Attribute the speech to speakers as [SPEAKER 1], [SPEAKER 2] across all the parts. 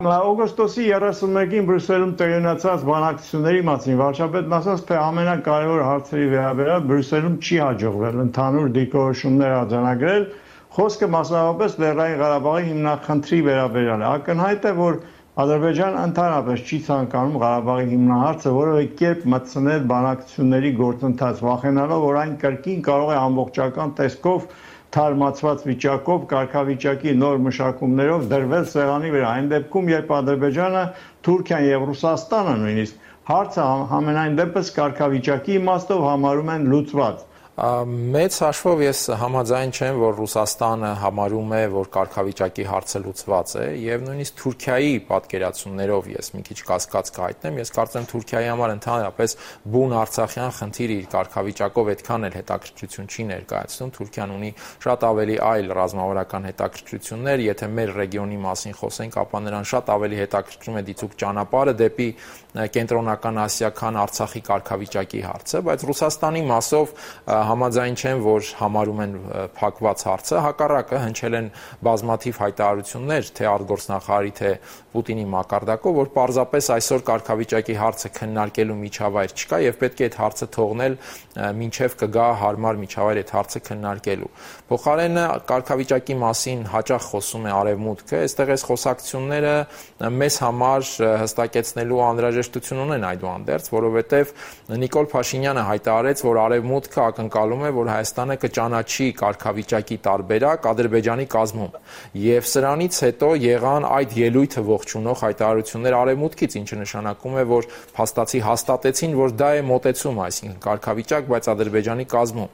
[SPEAKER 1] Օգոստոսի 31-ին Բրյուսելում տեղի ունեցած բանակցությունների մասին վարչապետն ասաց, թե ամենակարևոր հարցերի վերաբերյալ Բրյուսելում չի հաջողվել ընդհանուր դիրքորոշումներ արձանագրել, խոսքը մասնավորապես Լեռնային Ղարաբաղի հիմնախնդրի վերաբերյալ է։ Ակնհայտ է, որ Ադրբեջանը ընդհանրապես չի ցանկանում Ղարաբաղի հիմնահարցը որևէ կերպ մտցնել բանակցությունների գործընթաց, վախենալով, որ այն կրկին կարող է ամբողջական տեսքով թարմացված վիճակով, կարգավիճակի նոր մշակումներով դրվել սեղանի վրա։ Այն դեպքում, երբ Ադրբեջանը, Թուրքիան եւ Ռուսաստանը նույնիսկ հարցը համենայն դեպս կարգավիճակի իմաստով համարում են լուծված։
[SPEAKER 2] Մեծ հաշվով ես համաձայն չեմ, որ Ռուսաստանը համարում է, որ կարգավիճակի հարցը լուծված է, եւ նույնիսկ Թուրքիայի պատկերացումներով ես մի քիչ կասկած կհայտնեմ, ես կարծեմ Թուրքիայի համար ընդհանրապես բուն արցախյան խնդիրը իր կարգավիճակով այդքան էլ հետաքրքրություն չի ներկայացնում, Թուրքիան ունի շատ ավելի այլ ռազմավարական հետաքրքրություններ, եթե մեր ռեգիոնի մասին խոսենք, ապա նրան շատ ավելի հետաքրքրում է դիցուք ճանապարհը դեպի կենտրոնական Ասիա, քան Արցախի կարգավիճակի հարցը, բայց Ռուսաստանի մասով համաձայն չեմ, որ համարում են փակված հարցը, հակառակը հնչել են բազմաթիվ հայտարարություններ, թե արտգործնախարարի, թե Պուտինի մակարդակով, որ պարզապես այսօր կարգավիճակի հարցը քննարկելու միջավայր չկա եւ պետք է այդ հարցը թողնել մինչեւ կգա հարմար միջավայր այդ հարցը քննարկելու։ Փոխարենը կարգավիճակի մասին հաճախ խոսում է Արևմուտքը, այստեղ այս խոսակցությունները մեզ համար հստակեցնելու անհրաժեշտություն ունեն այդուհանդերձ, որովհետեւ Նիկոլ Փաշինյանը հայտարարեց, որ Արևմուտքը ակնկալում է, որ Հայաստանը կճանաչի կարգավիճակի տարբերակ Ադրբեջանի կազմում։ Եվ սրանից հետո եղան այդ ելույթը ողջունող հայտարարություններ Արևմուտքից, ինչը նշանակում է, որ փաստացի հաստատեցին, որ դա է մոտեցումը, այսինքն կարգավիճակ, բայց Ադրբեջանի կազմում։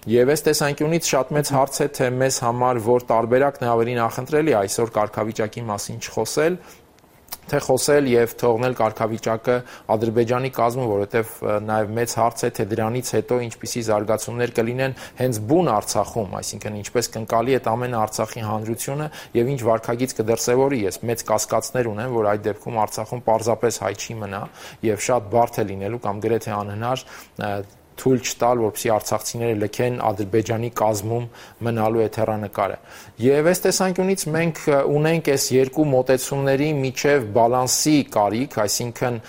[SPEAKER 2] Եվ այս տեսանկյունից շատ մեծ հարց է, թե մեզ համար որ տարբերակն է ավելի նախընտրելի այսօր կարգավիճակի մասին չխոսել, թե խոսել եւ թողնել կարգավիճակը Ադրբեջանի կազմում, որովհետեւ նաեւ մեծ հարց է, թե դրանից հետո ինչպիսի զարգացումներ կլինեն հենց բուն Արցախում, այսինքն ինչպես կընկալի այդ ամենը Արցախի հանրությունը եւ ինչ վարքագիծ կդրսեւորի։ Ես մեծ կասկածներ ունեմ, որ այդ դեպքում Արցախում պարզապես հայ չի մնա եւ շատ բարդ է լինելու կամ գրեթե անհնար թույլ չտալ, որպեսզի արցախցիները լքեն Ադրբեջանի կազմում մնալու այդ հեռանկարը։ Եվ այս տեսանկյունից մենք ունենք այս երկու մոտեցումների միջև բալանսի կարիք, այսինքն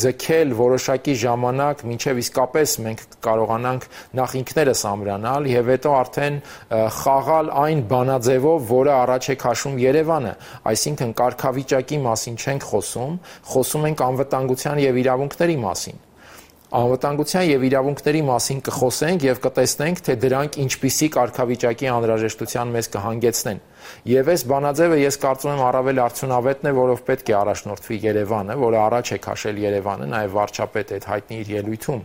[SPEAKER 2] ձգել որոշակի ժամանակ, մինչև իսկապես մենք կարողանանք նախ ինքներս ամրանալ եւ հետո արդեն խաղալ այն բանաձևով, որը առաջ է քաշում Երևանը, այսինքն կարգավիճակի մասին չենք խոսում ենք անվտանգության եւ իրավունքների մասին։ Անվտանգության եւ իրավունքների մասին կխոսենք եւ կտեսնենք, թե դրանք ինչպիսի կարգավիճակի անհրաժեշտության մեզ կհանգեցնեն։ Եվ այս բանաձևը ես կարծում եմ առավել արդյունավետն է, որով պետք է առաջնորդվի Երևանը, որը առաջ է քաշել Երևանը, նաեւ վարչապետը այդ հայտնի իր ելույթում